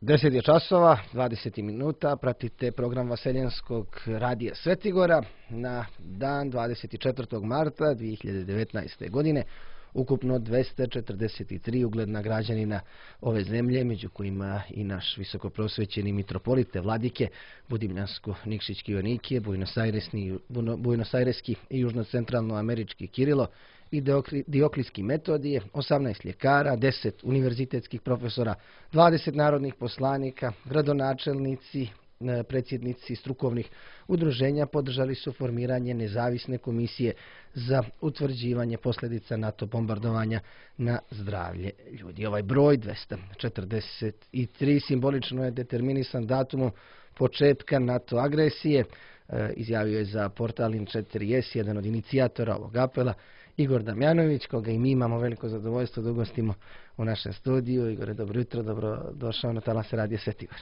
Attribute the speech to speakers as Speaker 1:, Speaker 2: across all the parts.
Speaker 1: 10 je časova, 20 minuta, pratite program Vaseljenskog radija Svetigora na dan 24. marta 2019. godine. Ukupno 243 ugledna građanina ove zemlje, među kojima i naš visokoprosvećeni mitropolite Vladike, Budimljansko-Nikšićki Joanikije, Buenosaireski i južno-centralnoamerički Kirilo i Dioklijski Metodije, 18 ljekara, 10 univerzitetskih profesora, 20 narodnih poslanika, gradonačelnici, predsjednici strukovnih udruženja podržali su formiranje nezavisne komisije za utvrđivanje posljedica NATO bombardovanja na zdravlje ljudi. Ovaj broj 243 simbolično je determinisan datumom početka NATO agresije, izjavio je za portal In4S jedan od inicijatora ovog apela, Igor Damjanović, koga i mi imamo veliko zadovoljstvo da ugostimo u našem studiju. Igore, dobro jutro, dobro došao na talase radija Svetigor.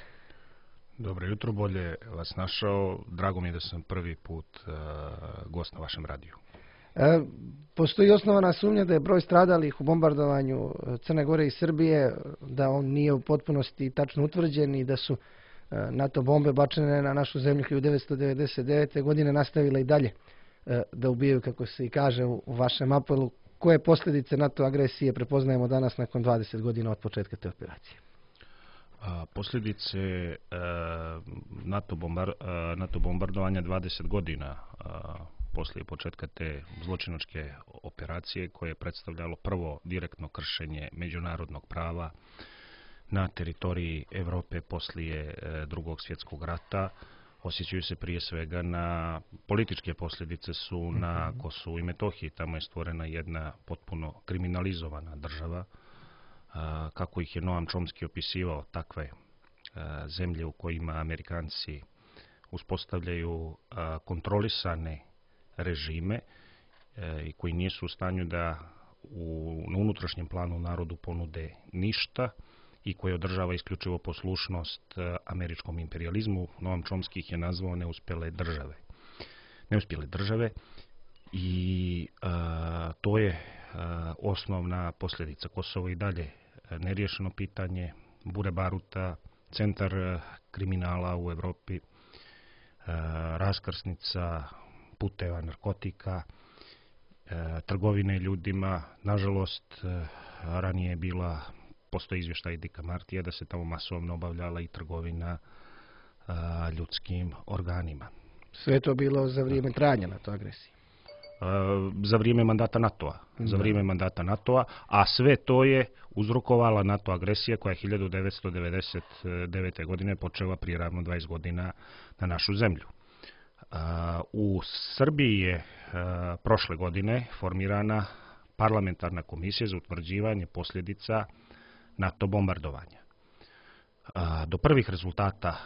Speaker 2: Dobro jutro, bolje vas našao. Drago mi je da sam prvi put gost na vašem radiju.
Speaker 1: Postoji osnovana sumnja da je broj stradalih u bombardovanju Crne Gore i Srbije, da on nije u potpunosti tačno utvrđen i da su NATO bombe bačene na našu zemlju 1999. godine nastavile i dalje da ubijaju, kako se i kaže u vašem apelu. Koje posljedice NATO agresije prepoznajemo danas nakon 20 godina od početka te operacije?
Speaker 2: Posljedice NATO bombardovanja 20 godina poslije početka te zločinačke operacije, koje je predstavljalo prvo direktno kršenje međunarodnog prava na teritoriji Europe poslije Drugog svjetskog rata, osjećaju se prije svega na političke posljedice su na Kosovu i Metohiji. Tamo je stvorena jedna potpuno kriminalizovana država, kako ih je Noam Chomsky opisivao, takve zemlje u kojima Amerikanci uspostavljaju kontrolisane režime i koji nisu u stanju da na unutrašnjem planu narodu ponude ništa i koji održava isključivo poslušnost američkom imperializmu. Noam Chomsky ih je nazvao neuspjele države i to je osnovna posljedica. Kosovo i dalje neriješeno pitanje, bure baruta, centar kriminala u Europi, raskrsnica puteva narkotika, trgovine ljudima. Nažalost, ranije je postoji izvještaj Dicka Martija da se tamo masovno obavljala i trgovina ljudskim organima.
Speaker 1: Sve je to bilo za vrijeme trajanja NATO agresije?
Speaker 2: Za vrijeme mandata NATO-a, a sve to je uzrokovala NATO agresija koja je 1999. godine počela prije ravno 20 godina na našu zemlju. U Srbiji je prošle godine formirana parlamentarna komisija za utvrđivanje posljedica NATO bombardovanja. Do prvih rezultata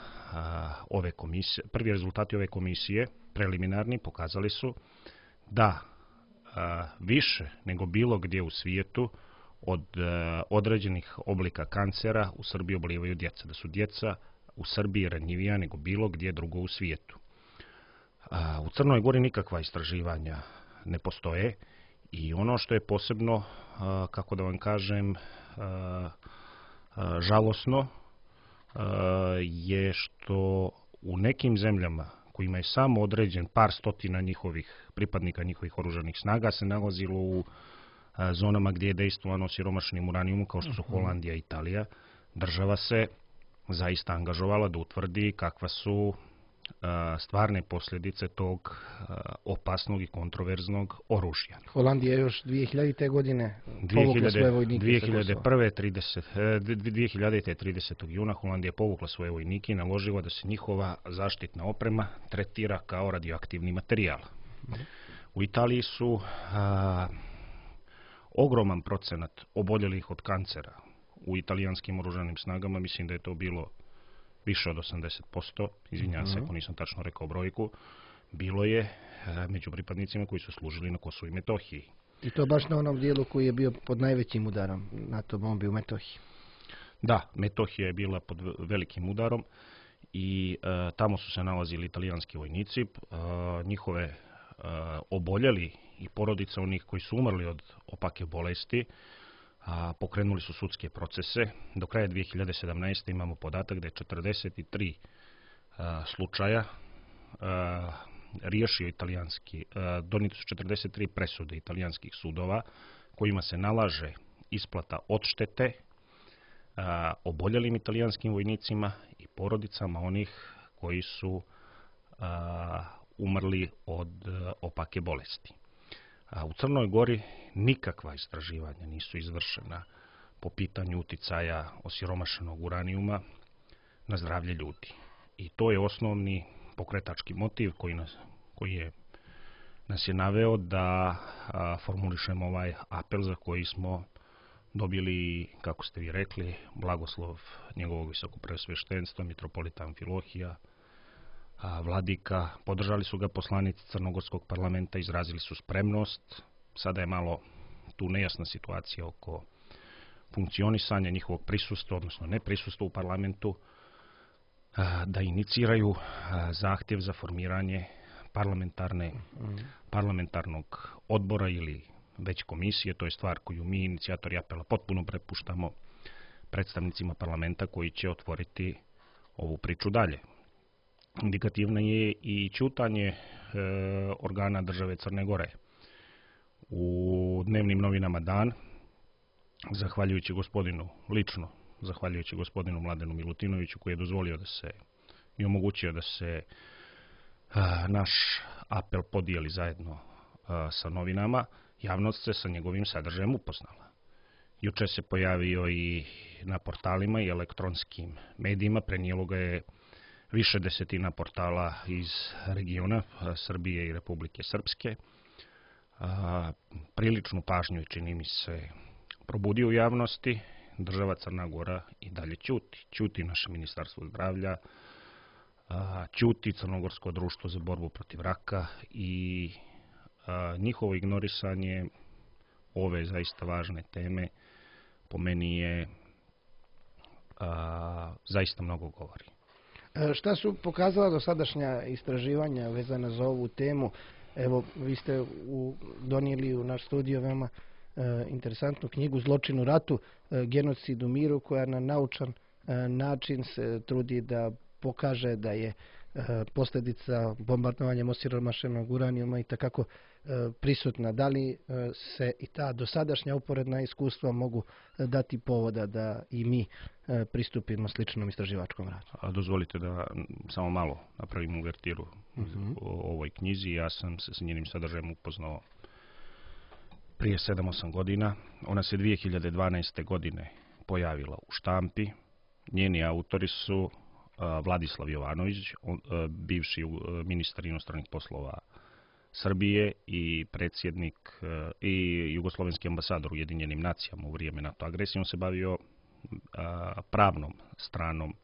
Speaker 2: rezultati ove komisije, preliminarni, pokazali su da više nego bilo gdje u svijetu od određenih oblika kancera u Srbiji obolijevaju djeca. Da su djeca u Srbiji ranjivija nego bilo gdje drugo u svijetu. U Crnoj Gori nikakva istraživanja ne postoje i ono što je posebno, kako da vam kažem, žalosno je što u nekim zemljama kojima je samo određen par stotina pripadnika njihovih oružanih snaga se nalazilo u zonama gdje je dejstvovano siromašnim uranijumom, kao što su Holandija i Italija. Država se zaista angažovala da utvrdi kakva su stvarne posljedice tog opasnog i kontroverznog oružja.
Speaker 1: Holandija je još 2000. godine povukla svoje vojnike.
Speaker 2: 30. juna Holandija je povukla svoje vojnike i naložila da se njihova zaštitna oprema tretira kao radioaktivni materijal. U Italiji su ogroman procenat oboljelih od kancera u italijanskim oružanim snagama. Mislim da je to bilo više od 80%, izvinjavam se ako nisam tačno rekao brojku, bilo je među pripadnicima koji su služili na Kosovu i Metohiji.
Speaker 1: I to baš na onom dijelu koji je bio pod najvećim udarom NATO bombi u Metohiji.
Speaker 2: Da, Metohija je bila pod velikim udarom i tamo su se nalazili italijanski vojnici. Njihove oboljeli i porodice onih koji su umrli od opake bolesti pokrenuli su sudske procese. Do kraja 2017. imamo podatak da je 43 slučaja riješio italijanski, donijeti su 43 presude italijanskih sudova kojima se nalaže isplata odštete oboljelim italijanskim vojnicima i porodicama onih koji su umrli od opake bolesti. U Crnoj Gori nikakva istraživanja nisu izvršena po pitanju uticaja osiromašenog uranijuma na zdravlje ljudi. I to je osnovni pokretački motiv koji nas je naveo da formulišemo ovaj apel za koji smo dobili, kako ste vi rekli, blagoslov njegovog visokopreosveštenstva, mitropolita Amfilohija, vladika. Podržali su ga poslanici Crnogorskog parlamenta, izrazili su spremnost. Sada je malo tu nejasna situacija oko funkcionisanja njihovog prisustva, odnosno neprisustva u parlamentu, da iniciraju zahtjev za formiranje parlamentarnog odbora ili već komisije. To je stvar koju mi, inicijatori apela, potpuno prepuštamo predstavnicima parlamenta koji će otvoriti ovu priču dalje. Indikativno je i ćutanje organa države Crne Gore. U dnevnim novinama Dan, zahvaljujući gospodinu Mladenu Milutinoviću, koji je dozvolio i omogućio da se naš apel podijeli zajedno sa novinama, javnost se sa njegovim sadržajem upoznala. Juče se pojavio i na portalima i elektronskim medijima, prenijelo ga je više desetina portala iz regiona Srbije i Republike Srpske. Priličnu pažnju, čini mi se, probudio u javnosti. Država Crna Gora i dalje ćuti. Ćuti naše ministarstvo zdravlja, ćuti Crnogorsko društvo za borbu protiv raka i njihovo ignorisanje ove zaista važne teme po meni je zaista mnogo govori.
Speaker 1: Šta su pokazala dosadašnja istraživanja vezana za ovu temu? Evo, vi ste donijeli u naš studio veoma interesantnu knjigu Zločin u ratu, genocid u miru, koja na naučan način se trudi da pokaže da je posljedica bombardovanjem osiromašenog uranijuma i takako prisutna. Da li se i ta dosadašnja uporedna iskustva mogu dati povoda da i mi pristupimo sličnom istraživačkom radu?
Speaker 2: Dozvolite da samo malo napravim uvertiru o ovoj knjizi. Ja sam se s njenim sadržajem upoznao prije 7-8 godina. Ona se 2012. godine pojavila u štampi. Njeni autori su Vladislav Jovanović, bivši ministar inostranih poslova Srbije i predsjednik i jugoslovenski ambasador u Ujedinjenim nacijama u vrijeme NATO agresije. On se bavio pravnom stranom,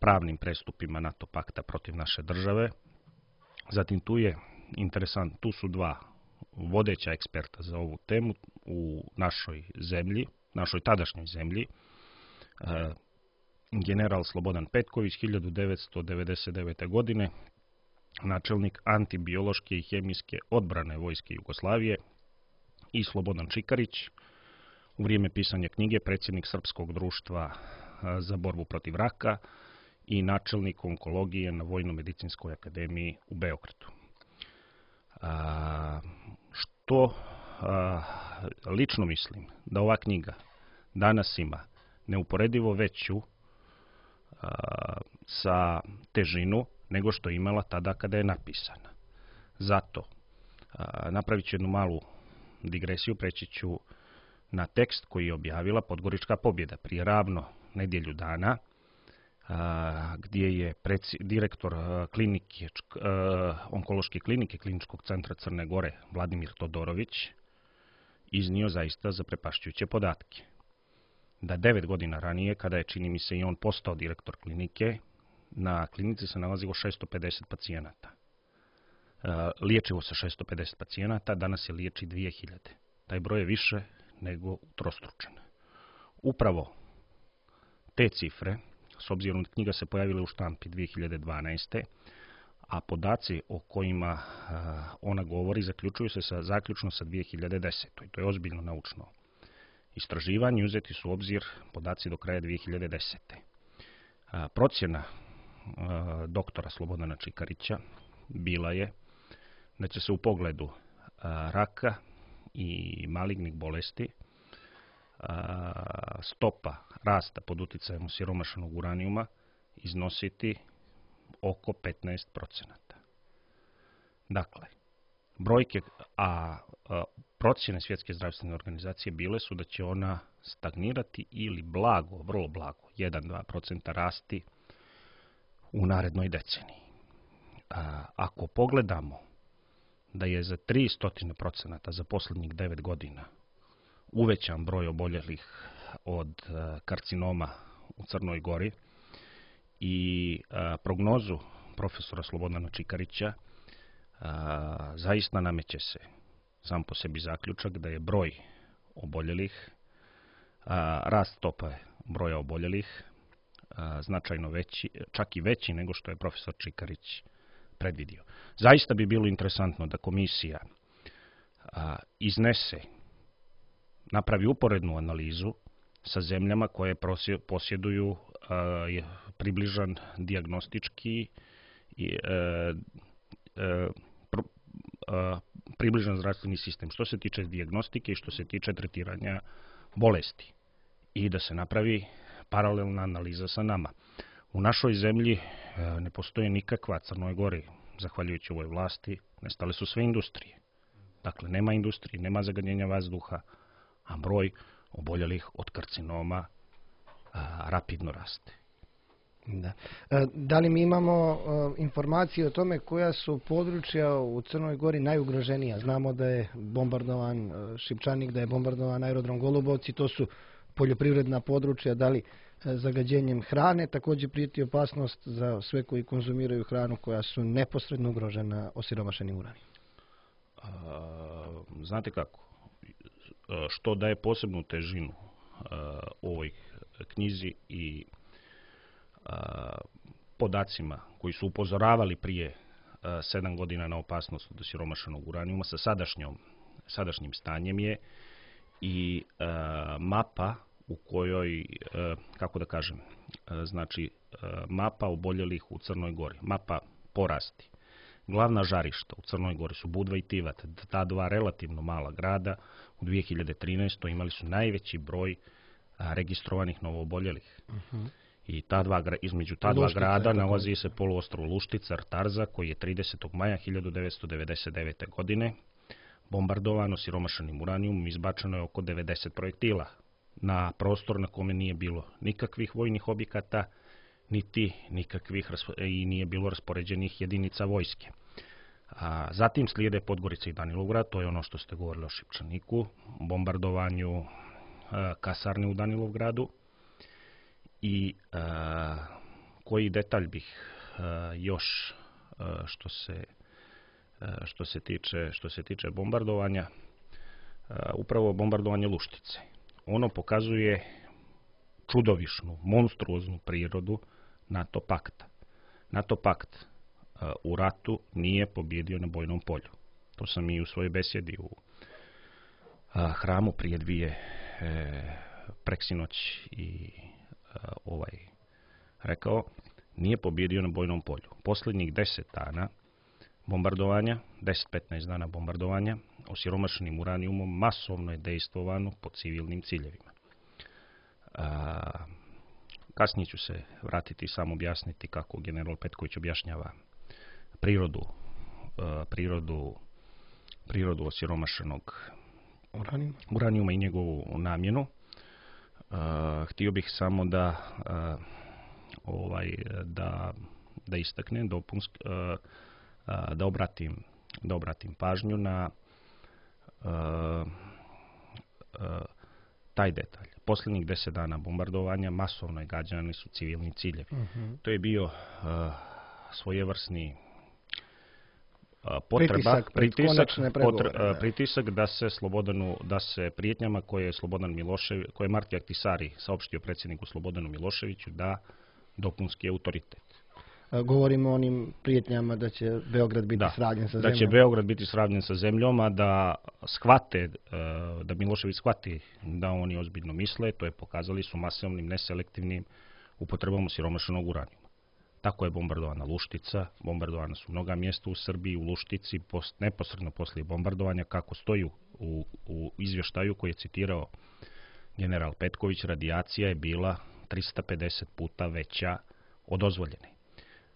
Speaker 2: pravnim prestupima NATO pakta protiv naše države. Zatim tu su dva vodeća eksperta za ovu temu u našoj zemlji, našoj tadašnjoj zemlji. General Slobodan Petković, 1999. godine, načelnik antibiološke i hemijske odbrane Vojske Jugoslavije, i Slobodan Čikarić, u vrijeme pisanja knjige predsjednik Srpskog društva za borbu protiv raka i načelnik onkologije na Vojno-medicinskoj akademiji u Beogradu. Lično mislim da ova knjiga danas ima neuporedivo veću sa težinu nego što je imala tada kada je napisana. Zato napravit ću jednu malu digresiju, preći ću na tekst koji je objavila Podgorička pobjeda prije ravno nedjelju dana, gdje je direktor onkološke klinike Kliničkog centra Crne Gore Vladimir Todorović iznio zaista zaprepašćujuće podatke. Da 9 godina ranije, kada je, čini mi se, i on postao direktor klinike, na klinici se nalazilo 650 pacijenata. Liječilo se 650 pacijenata, danas se liječi 2000. Taj broj je više nego utrostručen. Upravo te cifre, s obzirom da knjiga se pojavila u štampi 2012. a podaci o kojima ona govori zaključuju se zaključno sa 2010. I to je ozbiljno naučno istraživanja uzeti su u obzir podaci do kraja 2010. Procjena doktora Slobodana Čikarića bila je da će se u pogledu raka i malignih bolesti stopa rasta pod utjecajem osiromašenog uranijuma iznositi oko 15%. Dakle, brojke, procjene Svjetske zdravstvene organizacije bile su da će ona stagnirati ili blago, vrlo blago, 1-2% rasti u narednoj deceniji. Ako pogledamo da je za 300% za posljednjih 9 godina uvećan broj oboljelih od karcinoma u Crnoj Gori i prognozu profesora Slobodana Čikarića, zaista nameće se sam po sebi zaključak da je broj oboljelih, rast stope broja oboljelih značajno veći, čak i veći nego što je profesor Čikarić predvidio. Zaista bi bilo interesantno da komisija napravi uporednu analizu sa zemljama koje posjeduju približan dijagnostički približan zdravstveni sistem što se tiče dijagnostike i što se tiče tretiranja bolesti i da se napravi paralelna analiza sa nama. U našoj zemlji ne postoji nikakva, Crnoj Gori, zahvaljujući ovoj vlasti, nestale su sve industrije. Dakle, nema industrije, nema zagađenja vazduha, a broj oboljelih od karcinoma rapidno raste.
Speaker 1: Da. Da li mi imamo informacije o tome koja su područja u Crnoj Gori najugroženija? Znamo da je bombardovan Šipčanik, da je bombardovan aerodrom Golubovci, to su poljoprivredna područja, da li zagađenjem hrane također prijeti opasnost za sve koji konzumiraju hranu koja su neposredno ugrožena osiromašenim uranijom?
Speaker 2: Znate kako? Što daje posebnu težinu ovoj knjizi i podacima koji su upozoravali prije 7 godina na opasnost od osiromašenog uranijuma sa sadašnjim stanjem je i mapa u kojoj, kako da kažem, znači mapa oboljelih u Crnoj Gori, mapa porasti. Glavna žarišta u Crnoj Gori su Budva i Tivat, ta dva relativno mala grada u 2013. imali su najveći broj registrovanih novooboljelih. I između ta dva grada nalazi se poluostrvo Luštica, Tarza, koji je 30. maja 1999. godine bombardovan osiromašenim uranijumom, izbačeno je oko 90 projektila na prostor na kome nije bilo nikakvih vojnih objekata, i nije bilo raspoređenih jedinica vojske. Zatim slijede Podgorica i Danilovgrad, to je ono što ste govorili o Šipčaniku, bombardovanju kasarne u Danilovgradu. I koji detalj bih još što se tiče bombardovanja, upravo bombardovanje Luštice. Ono pokazuje čudovišnu, monstruoznu prirodu NATO pakta. NATO pakt u ratu nije pobjedio na bojnom polju. To sam i u svojoj besjedi u hramu prije preksinoć i rekao, nije pobjedio na bojnom polju. Posljednjih 10 dana bombardovanja, 10-15 dana bombardovanja, osiromašenim uranijumom masovno je dejstvovano po civilnim ciljevima. Kasnije ću se vratiti i sam objasniti kako general Petković objašnjava prirodu osiromašenog uranijuma i njegovu namjenu. Htio bih samo da istaknem, da obratim pažnju na taj detalj. Posljednjih 10 dana bombardovanja masovno je gađani su civilni ciljevi. To je bio svojevrsni pritisak da se prijetnjama koje je Marti Ahtisaari saopštio predsjedniku Slobodanu Miloševiću da dopunski autoritet.
Speaker 1: govorimo o onim prijetnjama da će Beograd biti sravnjen sa zemljom.
Speaker 2: Da će Beograd biti sravnjen sa zemljom, a da shvate, da Milošević shvati da oni ozbiljno misle, to je pokazali su masovnim, neselektivnim upotrebom osiromašenog uranijuma. Tako je bombardovana Luštica, bombardovana su mnoga mjesta u Srbiji, u Luštici, neposredno poslije bombardovanja, kako stoji u izvještaju koji je citirao general Petković, radijacija je bila 350 puta veća od dozvoljene.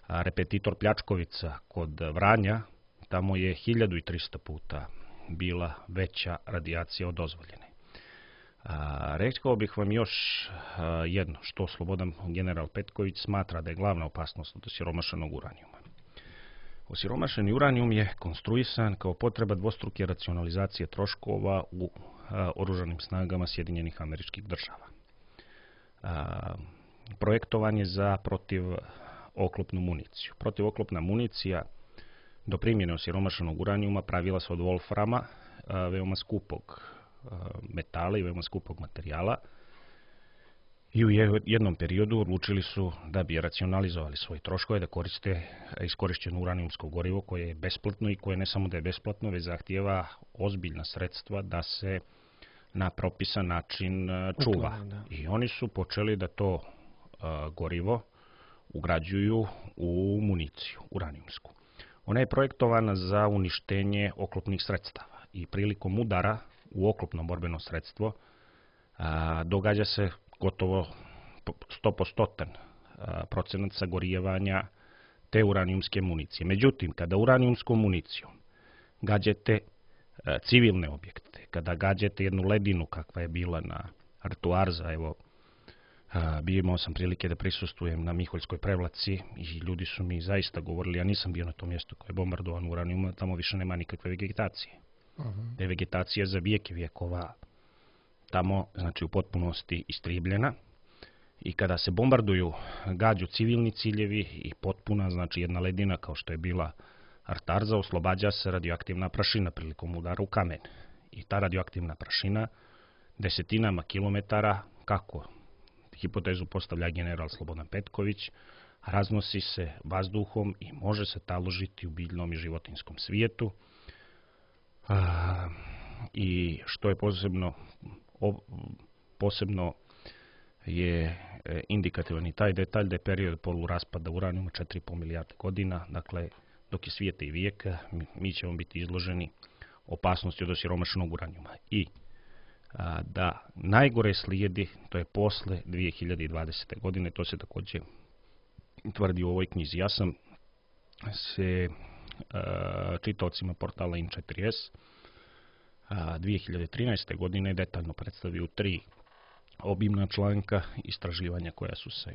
Speaker 2: A repetitor Pljačkovica kod Vranja, tamo je 1300 puta bila veća radijacija od dozvoljene. Rekao bih vam još jedno, što Slobodan general Petković smatra da je glavna opasnost od osiromašenog uranijuma. Osiromašeni uranijum je konstruisan kao potreba dvostruke racionalizacije troškova u oružanim snagama Sjedinjenih Američkih Država. Projektovan je za protivoklopnu municiju. Protivoklopna municija do primjene osiromašenog uranijuma pravila se od wolframa, veoma skupog metala i veoma skupog materijala, i u jednom periodu odlučili su da bi racionalizovali svoje troškove da koriste iskorišćeno uranijumsko gorivo koje je besplatno i koje ne samo da je besplatno, već zahtijeva ozbiljna sredstva da se na propisan način čuva. I oni su počeli da to gorivo ugrađuju u municiju uranijumsku. Ona je projektovana za uništenje oklopnih sredstava i prilikom udara u oklopno borbeno sredstvo događa se gotovo 100% procenat sagorijevanja te uranijumske municije. Međutim, kada uranijumskom municijom gađate civilne objekte, kada gađate jednu ledinu kakva je bila na Artuarza, evo, imao sam prilike da prisustvujem na Miholjskoj prevlaci i ljudi su mi zaista govorili, ja nisam bio na tom mjestu koje je bombardovan uranijum, tamo više nema nikakve vegetacije. Te vegetacija za vijeke vijekova tamo, znači, u potpunosti istribljena, i kada se bombarduju, gađu civilni ciljevi i potpuna, znači jedna ledina kao što je bila Artarza, oslobađa se radioaktivna prašina prilikom udara u kamen. I ta radioaktivna prašina desetinama kilometara, kako hipotezu postavlja general Slobodan Petković, raznosi se vazduhom i može se taložiti u biljnom i životinjskom svijetu. I što je posebno je indikativan i taj detalj da je period poluraspada uranijuma 4,5 milijarde godina, dakle dok je svijeta i vijeka mi ćemo biti izloženi opasnosti od osiromašenog uranijuma. I da najgore slijedi, to je posle 2020. godine, to se također tvrdi u ovoj knjizi. Ja sam se čitaocima portala In4S 2013. godine detaljno predstavio 3 obimna članka istraživanja koja su se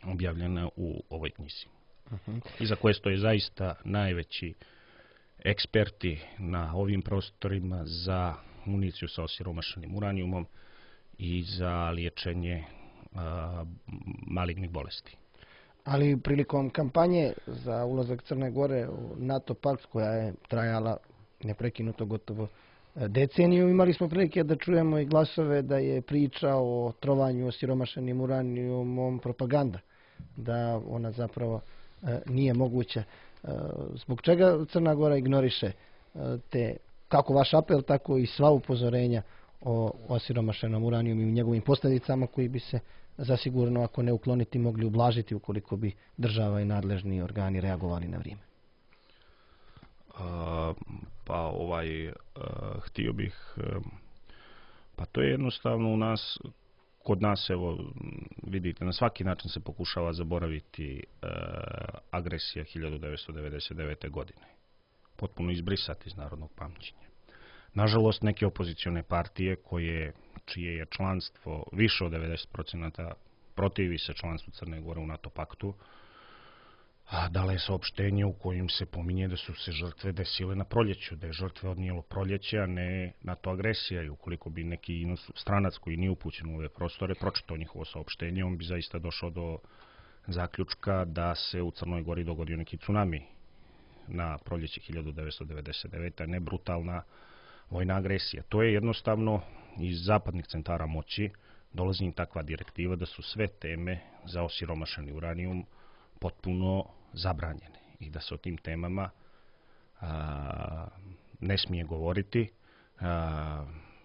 Speaker 2: objavljena u ovoj knjizi. Iza koje stoje zaista najveći eksperti na ovim prostorima za municiju sa osiromašenim uranijumom i za liječenje malignih bolesti.
Speaker 1: Ali prilikom kampanje za ulazak Crne Gore u NATO pakt, koja je trajala neprekinuto gotovo deceniju, imali smo prilike da čujemo i glasove da je priča o trovanju osiromašenim uranijumom propaganda, da ona zapravo nije moguća. Zbog čega Crna Gora ignoriše kako vaš apel, tako i sva upozorenja o osiromašenom uranijumu i u njegovim posljedicama koji bi se zasigurno, ako ne ukloniti, mogli ublažiti ukoliko bi država i nadležni organi reagovali na vrijeme?
Speaker 2: Htio bih, to je jednostavno kod nas, evo, vidite, na svaki način se pokušava zaboraviti agresija 1999. godine. Potpuno izbrisati iz narodnog pamćenja. Nažalost, neke opozicione partije čije je članstvo više od 90% protivi se članstvu Crne Gore u NATO paktu, dala je saopštenje u kojim se pominje da su se žrtve desile na proljeću, da je žrtve odnijelo proljeće, a ne NATO agresija. I ukoliko bi neki stranac koji nije upućen u ove prostore pročitao njihovo saopštenje, on bi zaista došao do zaključka da se u Crnoj Gori dogodio neki tsunami na proljeće 1999. a ne brutalna vojna agresija. To je jednostavno iz zapadnih centara moći dolazi im takva direktiva da su sve teme za osiromašeni uranijum potpuno zabranjene i da se o tim temama ne smije govoriti.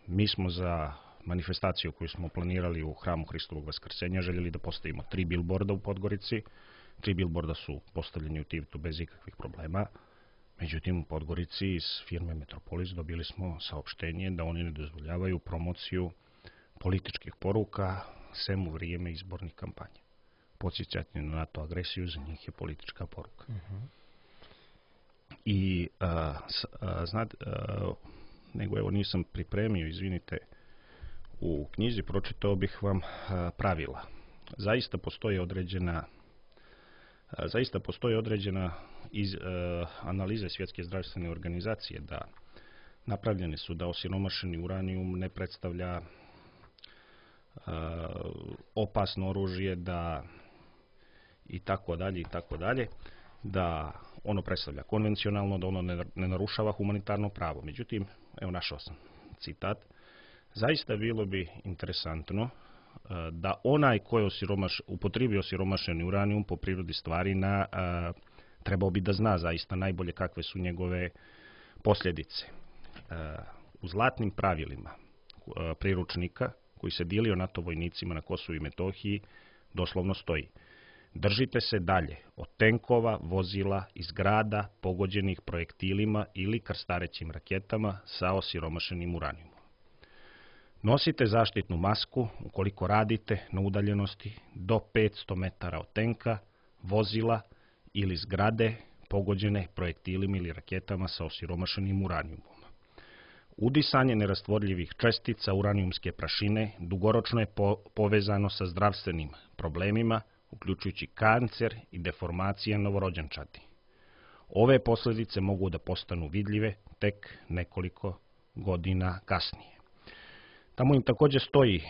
Speaker 2: Mi smo za manifestaciju koju smo planirali u hramu Hristovog Vaskrsenja željeli da postavimo 3 bilborda u Podgorici. 3 bilborda su postavljeni u Tivtu bez ikakvih problema. Međutim, u Podgorici iz firme Metropolis dobili smo saopštenje da oni ne dozvoljavaju promociju političkih poruka sem u vrijeme izbornih kampanja. Podsjećanje na NATO agresiju za njih je politička poruka. I znate, nego evo nisam pripremio, izvinite, u knjizi pročitao bih vam pravila. Zaista postoji određena analize Svjetske zdravstvene organizacije da napravljene su da osiromašeni uranijum ne predstavlja opasno oružje, da i tako dalje, da ono predstavlja konvencionalno, da ono ne narušava humanitarno pravo. Međutim, evo našao sam citat. Zaista bilo bi interesantno da onaj ko je upotrijebio osiromašeni uranijum po prirodi stvari trebao bi da zna zaista najbolje kakve su njegove posljedice. U zlatnim pravilima priručnika koji se dilio NATO vojnicima na Kosovu i Metohiji doslovno stoji: držite se dalje od tenkova, vozila i zgrada pogođenih projektilima ili krstarećim raketama sa osiromašenim uranijumom. Nosite zaštitnu masku ukoliko radite na udaljenosti do 500 metara od tenka, vozila ili zgrade pogođene projektilima ili raketama sa osiromašenim uranijumom. Udisanje nerastvorljivih čestica uranijumske prašine dugoročno je povezano sa zdravstvenim problemima, uključujući kancer i deformacije novorođenčadi. Ove posljedice mogu da postanu vidljive tek nekoliko godina kasnije. Tamo im također stoji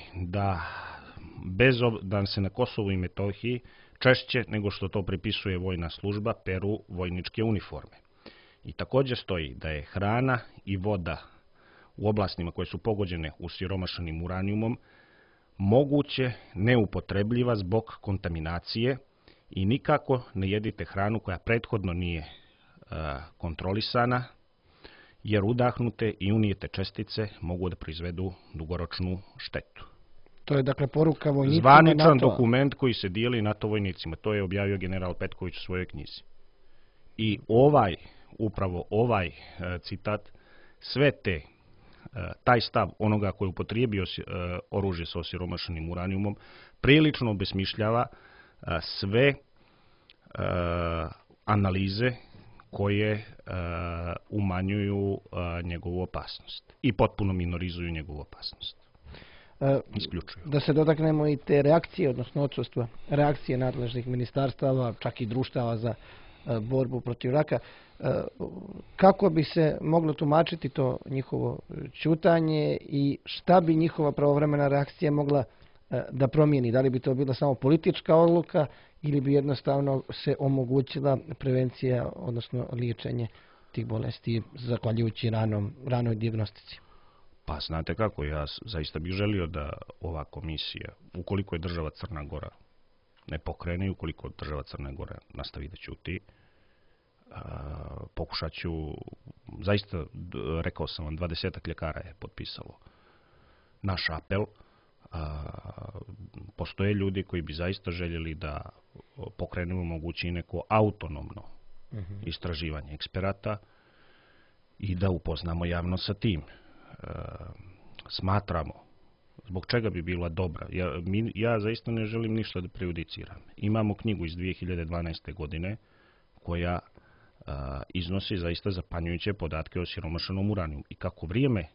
Speaker 2: da se na Kosovu i Metohiji češće nego što to pripisuje vojna služba peru vojničke uniforme. I također stoji da je hrana i voda u oblastima koje su pogođene osiromašenim uranijumom moguće neupotrebljiva zbog kontaminacije i nikako ne jedite hranu koja prethodno nije kontrolisana, jer udahnute i unijete čestice mogu da proizvedu dugoročnu štetu.
Speaker 1: To je dakle poruka vojnicima
Speaker 2: zvaničan dokument koji se dijeli NATO vojnicima. To je objavio general Petković u svojoj knjizi. I upravo ovaj citat, taj stav onoga koji je upotrijebio oružje sa osiromašenim uranijumom prilično obesmišljava sve analize koje umanjuju njegovu opasnost i potpuno minorizuju njegovu opasnost. Isključuju.
Speaker 1: Da se dotaknemo i te reakcije, odnosno odsustva reakcije nadležnih ministarstava, čak i društava za borbu protiv raka. Kako bi se moglo tumačiti to njihovo ćutanje i šta bi njihova pravovremena reakcija mogla da promijeni? Da li bi to bila samo politička odluka ili bi jednostavno se omogućila prevencija, odnosno liječenje tih bolesti zahvaljujući ranoj dijagnostici?
Speaker 2: Pa znate kako, ja zaista bih želio da ova komisija, ukoliko je država Crna Gora ne pokrene, ukoliko država Crna Gora nastavi da ćuti, pokušat ću, zaista rekao sam vam, 20 ljekara je potpisalo naš apel. Postoje ljudi koji bi zaista željeli da pokrenemo moguće i neko autonomno istraživanje eksperata i da upoznamo javno sa tim. Smatramo zbog čega bi bila dobra. Ja zaista ne želim ništa da prejudiciram. Imamo knjigu iz 2012. godine koja iznosi zaista zapanjujuće podatke o osiromašenom uranijumu i kako vrijeme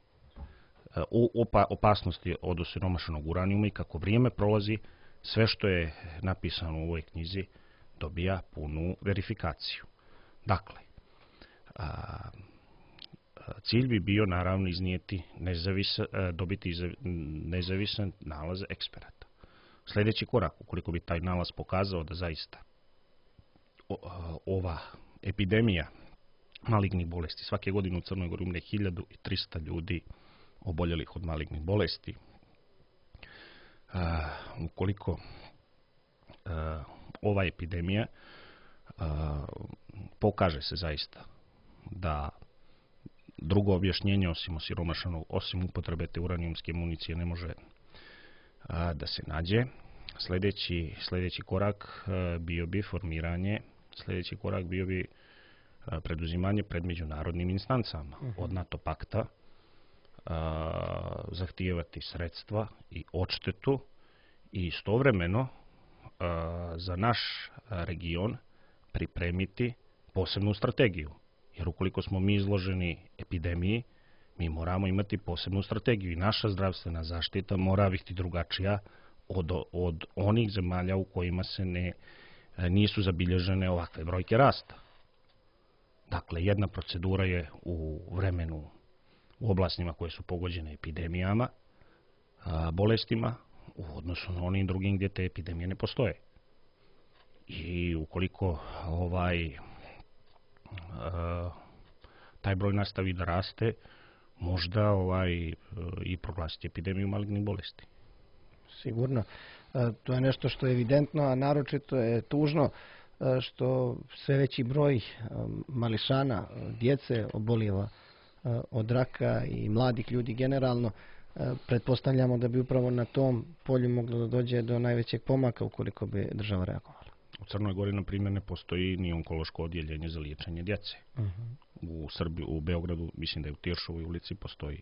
Speaker 2: opasnosti od osiromašenog uranijuma i kako vrijeme prolazi, sve što je napisano u ovoj knjizi dobija punu verifikaciju. Dakle, cilj bi bio naravno iznijeti dobiti nezavisan nalaz eksperata. Sljedeći korak, ukoliko bi taj nalaz pokazao da zaista ova epidemija malignih bolesti, svake godine u Crnoj Gori umre 1300 ljudi oboljelih od malignih bolesti. ova epidemija pokaže se zaista da drugo objašnjenje osim upotrebe te uranijumske municije ne može da se nađe. Sljedeći korak bio bi formiranje, sljedeći korak bio bi preduzimanje pred međunarodnim instancama od NATO pakta, zahtijevati sredstva i odštetu i istovremeno za naš region pripremiti posebnu strategiju. Jer ukoliko smo mi izloženi epidemiji, mi moramo imati posebnu strategiju i naša zdravstvena zaštita mora biti drugačija od onih zemalja u kojima se nisu zabilježene ovakve brojke rasta. Dakle, jedna procedura je u vremenu u oblastima koje su pogođene epidemijama, bolestima, u odnosu na onim drugim gdje te epidemije ne postoje. I ukoliko taj broj nastavi da raste, možda i proglasiti epidemiju malignih bolesti.
Speaker 1: Sigurno. To je nešto što je evidentno, a naročito je tužno što sve veći broj mališana, djece obolijeva od raka i mladih ljudi generalno. Pretpostavljamo da bi upravo na tom polju moglo da dođe do najvećeg pomaka ukoliko bi država reagovala.
Speaker 2: U Crnoj Gori, na primjer, ne postoji ni onkološko odjeljenje za liječenje djece. U Srbiji, u Beogradu, mislim da je u Tiršovoj ulici, postoji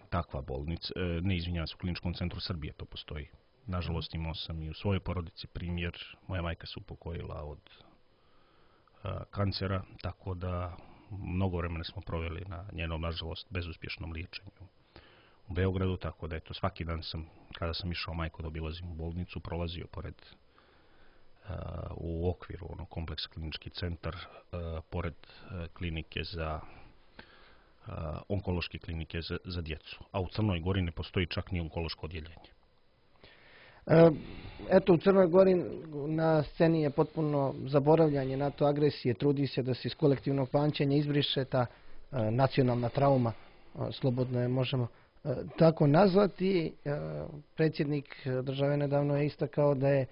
Speaker 2: takva bolnica. Ne, izvinjavam se, u Kliničkom centru Srbije to postoji. Nažalost, imao sam i u svojoj porodici primjer. Moja majka se upokojila od kancera, tako da mnogo vremena smo proveli na njenom, nažalost, bezuspješnom liječenju u Beogradu, tako da eto, svaki dan kada sam išao majku da obilazim u bolnicu, prolazio pored u okviru kompleksa klinički centar, pored klinike onkološke klinike za djecu. A u Crnoj Gori ne postoji čak ni onkološko odjeljenje.
Speaker 1: Eto, u Crnoj Gori na sceni je potpuno zaboravljanje NATO agresije. Trudi se da se iz kolektivnog pamćenja izbriše ta nacionalna trauma, slobodno je možemo tako nazvati. Predsjednik države nedavno je istakao da je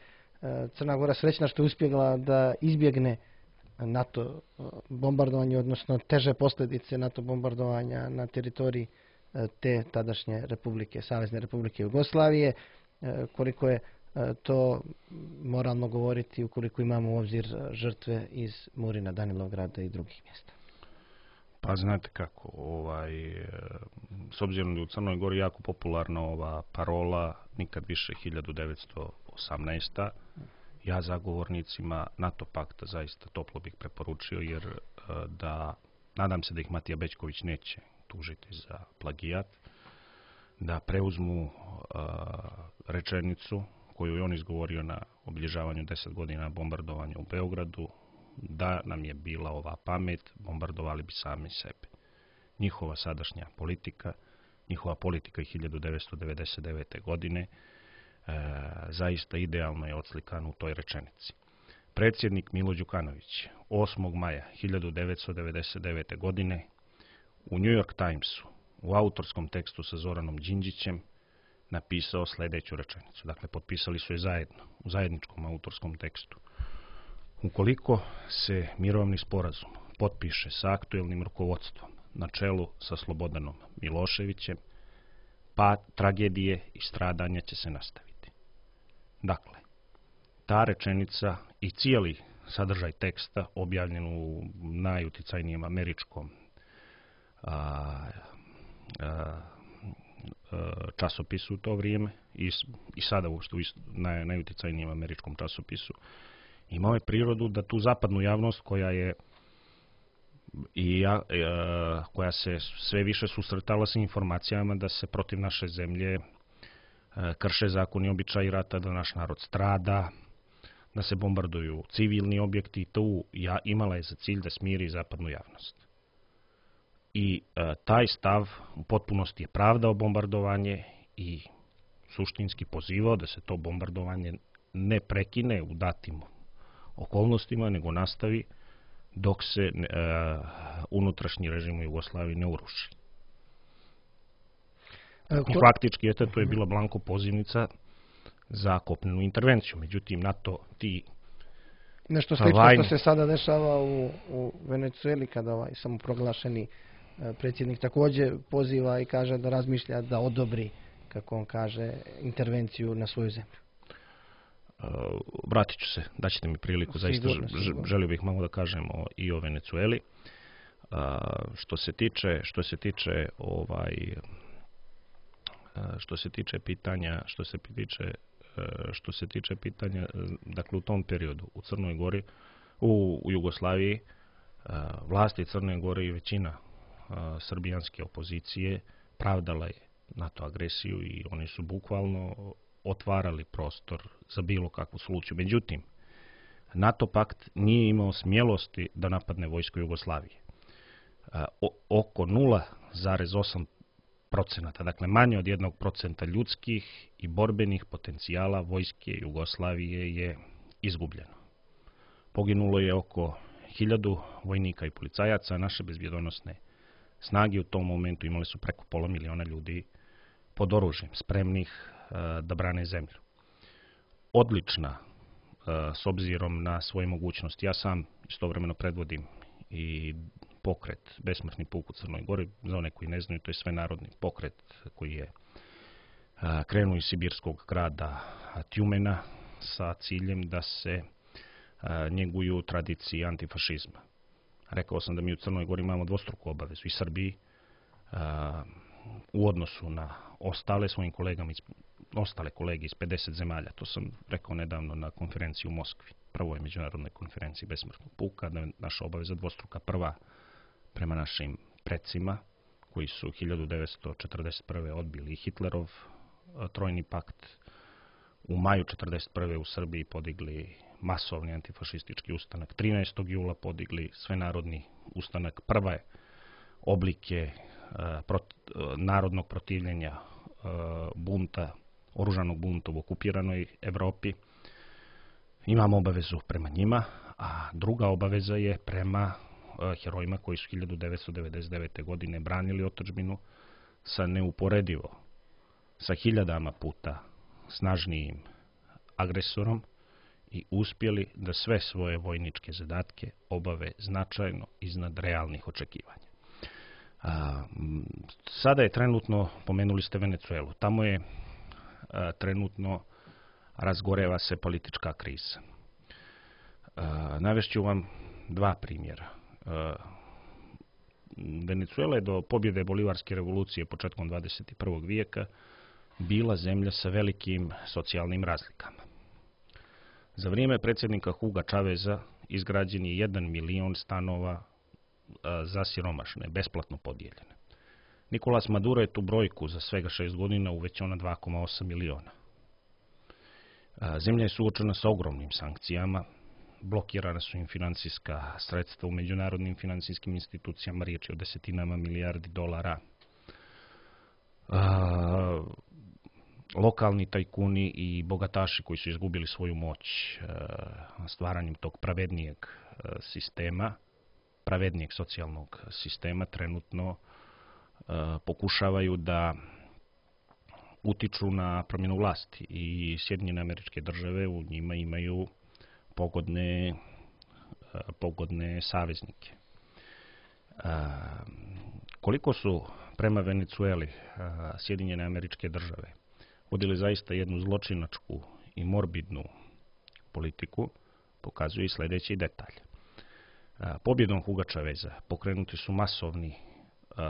Speaker 1: Crna Gora srećna što je uspjela da izbjegne NATO bombardovanje, odnosno teže posljedice NATO bombardovanja na teritoriji te tadašnje republike, Savezne republike Jugoslavije. Koliko je to moralno govoriti ukoliko imamo u obzir žrtve iz Murina, Danilovgrada i drugih mjesta?
Speaker 2: Pa znate kako, s obzirom da je u Crnoj Gori jako popularna ova parola nikad više 1918. Ja zagovornicima NATO pakta zaista toplo bih preporučio, jer nadam se da ih Matija Bećković neće tužiti za plagijat, da preuzmu rečenicu koju je on izgovorio na obilježavanju 10 godina bombardovanja u Beogradu: da nam je bila ova pamet, bombardovali bi sami sebe. Njihova sadašnja politika, njihova politika 1999. godine zaista idealno je odslikan u toj rečenici. Predsjednik Milo Đukanović 8. maja 1999. godine u New York Timesu u autorskom tekstu sa Zoranom Đinđićem napisao sljedeću rečenicu. Dakle, potpisali su je zajedno, u zajedničkom autorskom tekstu. Ukoliko se mirovni sporazum potpiše sa aktuelnim rukovodstvom na čelu sa Slobodanom Miloševićem, pa tragedije i stradanja će se nastaviti. Dakle, ta rečenica i cijeli sadržaj teksta objavljen u najuticajnijem američkom časopisu u to vrijeme i sada uopšte najuticajnijem američkom časopisu, imao je prirodu da tu zapadnu javnost koja se sve više susretala sa informacijama da se protiv naše zemlje krše zakoni i običaji rata, da naš narod strada, da se bombarduju civilni objekti, tu imala je za cilj da smiri zapadnu javnost. I taj stav u potpunosti je pravdao bombardovanje i suštinski pozivao da se to bombardovanje ne prekine u datim okolnostima, nego nastavi dok se unutrašnji režim u Jugoslaviji ne uruši. I faktički to je bila blanko pozivnica za kopnenu intervenciju. Međutim, NATO ti
Speaker 1: Nešto slično što se sada dešava u Venecueli, kada samoproglašeni predsjednik također poziva i kaže da razmišlja da odobri, kako on kaže, intervenciju na svoju zemlju.
Speaker 2: Vratit ću se, daćete mi priliku, zaista želio bih malo da kažemo i o Venecueli. Što se tiče pitanja, dakle u tom periodu u Crnoj Gori, u Jugoslaviji, vlasti Crne Gore i većina srbijanske opozicije pravdala je NATO agresiju i oni su bukvalno otvarali prostor za bilo kakvu soluciju. Međutim, NATO pakt nije imao smjelosti da napadne vojsku Jugoslavije. Oko 0,8%, dakle manje od 1% ljudskih i borbenih potencijala vojske Jugoslavije je izgubljeno. Poginulo je oko 1000 vojnika i policajaca, naše bezbjedonosne snage u tom momentu imali su preko 500.000 ljudi pod oružjem, spremnih da brane zemlju. Odlična, s obzirom na svoje mogućnosti. Ja sam istovremeno predvodim i pokret Besmrtni puk u Crnoj Gori. Za one koji ne znaju, to je svenarodni pokret koji je krenuo iz sibirskog grada Tjumena sa ciljem da se njeguju tradicije antifašizma. Rekao sam da mi u Crnoj Gori imamo dvostruku obavezu i Srbiji u odnosu na ostale kolege iz 50 zemalja. To sam rekao nedavno na konferenciji u Moskvi, prvoj međunarodnoj konferenciji Besmrtnog puka, da je naša obaveza dvostruka. Prva prema našim predsima, koji su 1941. odbili Hitlerov trojni pakt, u maju 1941. u Srbiji podigli masovni antifašistički ustanak, 13. jula podigli svenarodni ustanak, prve oblike narodnog protivljenja bunta, oružanog bunta u okupiranoj Evropi. Imamo obavezu prema njima, a druga obaveza je prema herojima koji su 1999. godine branili otadžbinu sa neuporedivo, sa 1000 puta snažnijim agresorom i uspjeli da sve svoje vojničke zadatke obave značajno iznad realnih očekivanja. Sada je trenutno, pomenuli ste Venecuelu, tamo je trenutno razgoreva se politička kriza. Navešću vam dva primjera. Venecuela je do pobjede Bolivarske revolucije početkom 21. vijeka bila zemlja sa velikim socijalnim razlikama. Za vrijeme predsjednika Huga Chaveza izgrađen je 1 milion stanova za siromašne, besplatno podijeljene. Nicolas Maduro je tu brojku za svega 6 godina uvećao na 2,8 miliona. Zemlja je suočena sa ogromnim sankcijama, blokirana su im financijska sredstva u međunarodnim financijskim institucijama, riječ je o desetinama milijardi dolara. Lokalni tajkuni i bogataši koji su izgubili svoju moć stvaranjem tog pravednijeg sistema, pravednijeg socijalnog sistema, trenutno pokušavaju da utiču na promjenu vlasti i Sjedinjene Američke Države u njima imaju pogodne saveznike. Koliko su prema Venecueli Sjedinjene Američke Države vodili zaista jednu zločinačku i morbidnu politiku, pokazuje i sljedeći detalj. Pobjedom Huga Chaveza pokrenuti su masovni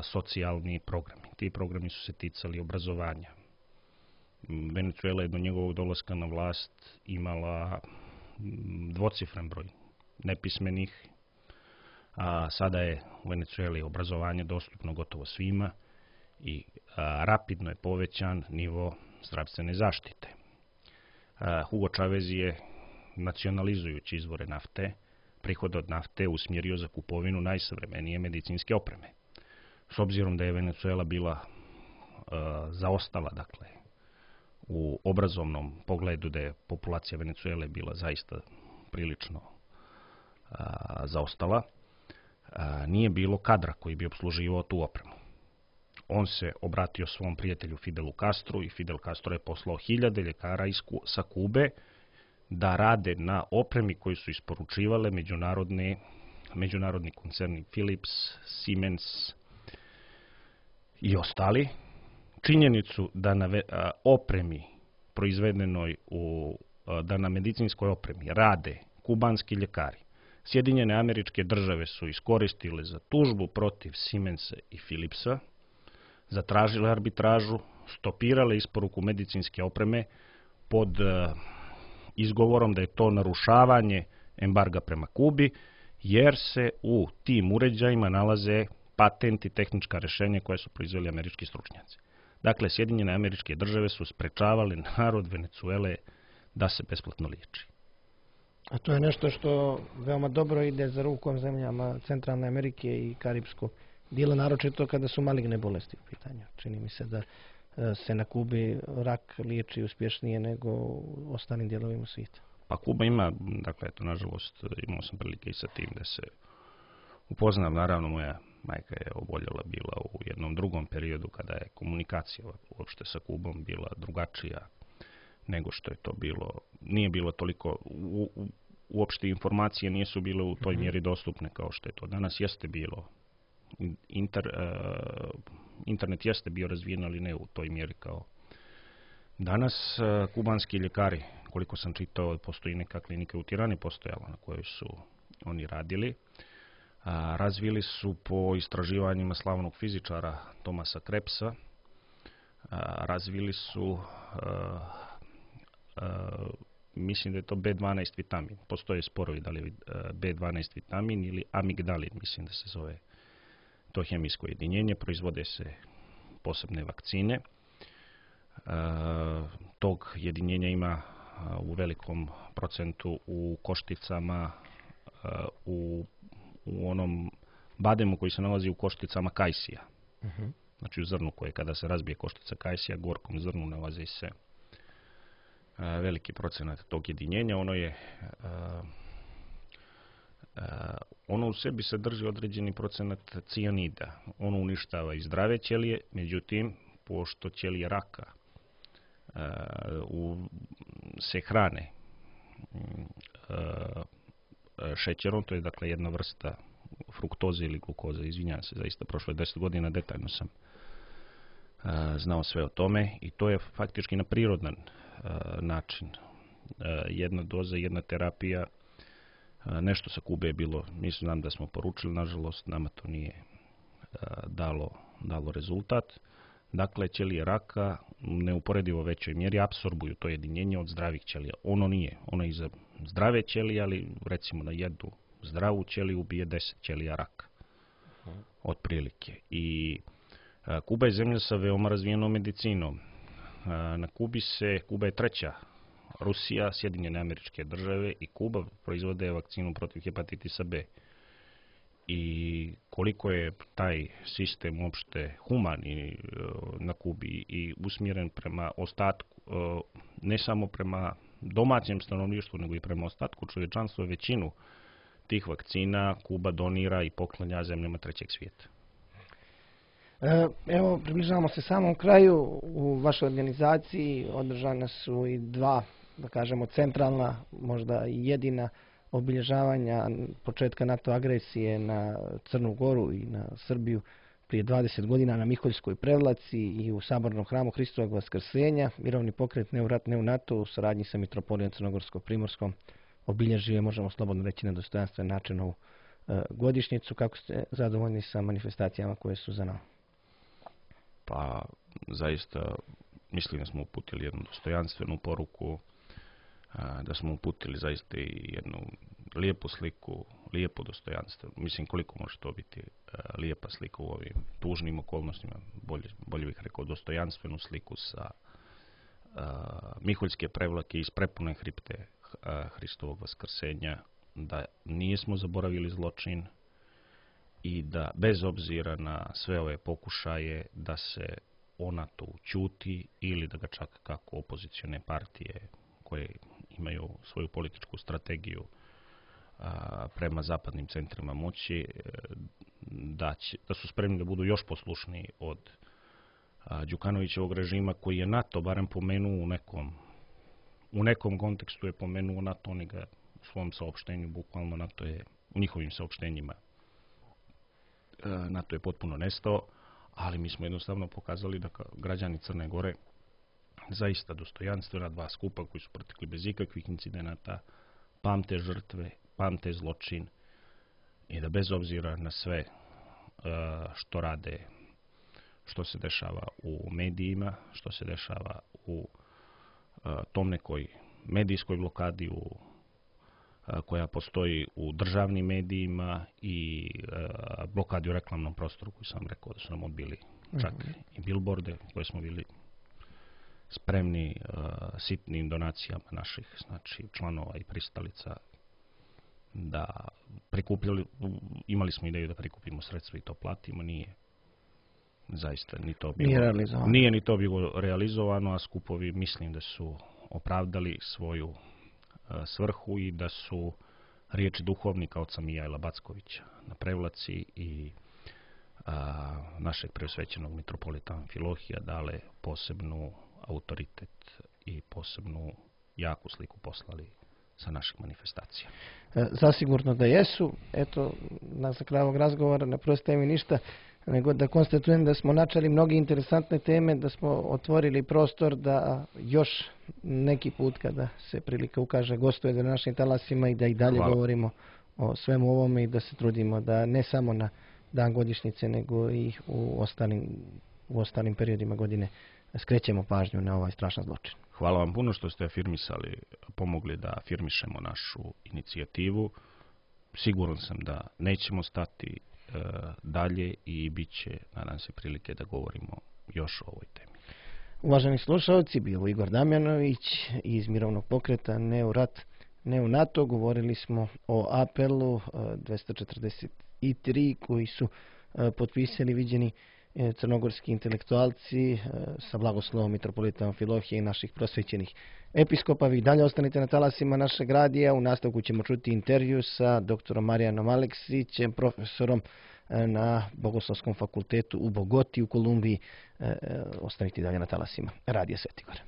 Speaker 2: socijalni programi. Ti programi su se ticali obrazovanja. Venecuela je do njegovog dolaska na vlast imala dvocifren broj nepismenih, a sada je u Venecueli obrazovanje dostupno gotovo svima i rapidno je povećan nivo zdravstvene zaštite. Hugo Chavez je, nacionalizujući izvore nafte, prihod od nafte usmjerio za kupovinu najsavremenije medicinske opreme. S obzirom da je Venecuela bila zaostala, dakle, u obrazovnom pogledu, da je populacija Venecuele bila zaista prilično zaostala, nije bilo kadra koji bi opsluživao tu opremu. on se obratio svom prijatelju Fidelu Castru i Fidel Castro je poslao 1000 ljekara sa Kube da rade na opremi koju su isporučivale međunarodni koncerni Philips, Siemens i ostali. Činjenicu da na opremi proizvedenoj da na medicinskoj opremi rade kubanski ljekari, Sjedinjene Američke Države su iskoristile za tužbu protiv Siemensa i Philipsa, zatražile arbitražu, stopirale isporuku medicinske opreme pod izgovorom da je to narušavanje embarga prema Kubi, jer se u tim uređajima nalaze patenti i tehnička rješenja koje su proizveli američki stručnjaci. Dakle, Sjedinjene Američke Države su sprečavali narod Venezuele da se besplatno liječi.
Speaker 1: A to je nešto što veoma dobro ide za rukom zemljama Centralne Amerike i Karibskog dijela, naročito kada su maligne bolesti u pitanju. Čini mi se da se na Kubi rak liječi uspješnije nego u ostalim dijelovima svijeta.
Speaker 2: Pa Kuba ima, dakle, eto, nažalost, imao sam prilike i sa tim da se upoznam. Naravno, moja majka je oboljela bila u jednom drugom periodu kada je komunikacija uopšte sa Kubom bila drugačija nego što je to bilo. Nije bilo toliko, uopšte informacije nisu bile u toj mjeri dostupne kao što je to danas jeste bilo. Internet jeste bio razvijen, ali ne u toj mjeri kao danas. Kubanski ljekari, koliko sam čitao, postoji neka klinika u Tirani postojala na kojoj su oni radili. Razvili su po istraživanjima slavnog fizičara Thomasa Krebsa, razvili su mislim da je to B12 vitamin. Postoje sporovi da li je B12 vitamin ili amigdalin, mislim da se zove to hemijsko jedinjenje. Proizvode se posebne vakcine. Tog jedinjenja ima u velikom procentu u košticama, u onom bademu koji se nalazi u košticama kajsija. Znači u zrnu koje kada se razbije koštica kajsija, gorkom zrnu nalazi se veliki procenat tog jedinjenja. Ono u sebi sadrži određeni procenat cijanida. Ono uništava i zdrave ćelije, međutim, pošto ćelije raka se hrane šećerom, to je dakle jedna vrsta fruktoze ili glukoze, izvinjavam se, zaista prošlo je 10 godina, detaljno sam znao sve o tome i to je faktički na prirodan način. Jedna doza, jedna terapija, nešto sa Kube je bilo, mislim znam da smo poručili, nažalost nama to nije dalo rezultat. Dakle, ćelije raka neuporedivo većoj mjeri apsorbuju to jedinjenje od zdravih ćelija. Ono nije, ono je i za zdrave ćelije, ali recimo na jednu zdravu ćeliju ubije 10 ćelija raka. Otprilike. I Kuba je zemlja sa veoma razvijenom medicinom. Na Kuba je treća. Rusija, Sjedinjene Američke Države i Kuba proizvode vakcinu protiv hepatitisa B. I koliko je taj sistem uopšte human na Kubi i usmjeren prema ostatku, ne samo prema domaćem stanovništvu, nego i prema ostatku čovječanstva, većinu tih vakcina Kuba donira i poklanja zemljama trećeg svijeta.
Speaker 1: Evo, približavamo se samom kraju. U vašoj organizaciji održana su i dva, da kažemo, centralna, možda i jedina obilježavanja početka NATO agresije na Crnu Goru i na Srbiju prije 20 godina na Miholjskoj Prevlaci i u Sabornom hramu Hristovog Vaskrsenja. Mirovni pokret Ne u rat, ne u NATO u saradnji sa Mitropolijom Crnogorsko-Primorskom obilježio je, možemo slobodno reći, na dostojanstven način ovu godišnjicu. Kako ste zadovoljni sa manifestacijama koje su za nama?
Speaker 2: Pa, zaista mislim da smo uputili jednu dostojanstvenu poruku, da smo uputili zaista i jednu lijepu sliku, lijepo dostojanstvo. Mislim, koliko može to biti lijepa slika u ovim tužnim okolnostima, bolje bih rekao dostojanstvenu sliku sa Miholjske Prevlake iz prepune hripte Hristovog Vaskrsenja, da nismo zaboravili zločin i da bez obzira na sve ove pokušaje da se ona to ćuti ili da ga čak kako opozicione partije koje imaju svoju političku strategiju prema zapadnim centrima moći, da su spremni da budu još poslušniji od Đukanovićevog režima, koji je NATO barem pomenuo u nekom kontekstu je pomenuo NATO, oni ga u svom saopštenju, bukvalno NATO je u njihovim saopštenjima NATO je potpuno nestao, ali mi smo jednostavno pokazali da građani Crne Gore zaista dostojanstvena dva skupa koji su protekli bez ikakvih incidenata, pamte žrtve, pamte zločin i da bez obzira na sve što rade, što se dešava u medijima, što se dešava u tom nekoj medijskoj blokadi koja postoji u državnim medijima i blokadi u reklamnom prostoru koju sam rekao da su nam odbili čak i billboarde koje smo bili spremni sitnim donacijama naših, znači članova i pristalica da prikupljali, imali smo ideju da prikupimo sredstva i to platimo, nije zaista ni to bilo, nije ni to bilo realizovano, a skupovi mislim da su opravdali svoju svrhu i da su riječi duhovnika oca Mijaila Backovića na Prevlaci i našeg preosvećenog mitropolita Amfilohija dale posebnu autoritet i posebnu jaku sliku poslali sa naših manifestacija.
Speaker 1: Zasigurno da jesu. Eto, za kraj ovog razgovora ne preostaje mi ništa nego da konstatujem da smo načeli mnoge interesantne teme, da smo otvorili prostor da još neki put kada se prilika ukaže gostuje na našim talasima i da i dalje govorimo o svemu ovome i da se trudimo da ne samo na dan godišnjice nego i u ostalim periodima godine skrećemo pažnju na ovaj strašan zločin.
Speaker 2: Hvala vam puno što ste afirmisali, pomogli da afirmišemo našu inicijativu. Siguran sam da nećemo stati dalje i bit će, nadam se, prilike da govorimo još o ovoj temi.
Speaker 1: Uvaženi slušalci, bio Igor Damjanović iz mirovnog pokreta Ne u rat, ne u NATO. Govorili smo o apelu 243 koji su potpisali viđeni crnogorski intelektualci sa blagoslovom mitropolita Amfilohija i naših prosvećenih episkopa. Vi dalje ostanite na talasima našeg radija. U nastavku ćemo čuti intervju sa doktorom Marijanom Aleksićem, profesorom na Bogoslovskom fakultetu u Bogoti u Kolumbiji. Ostanite dalje na talasima Radija Svetigora.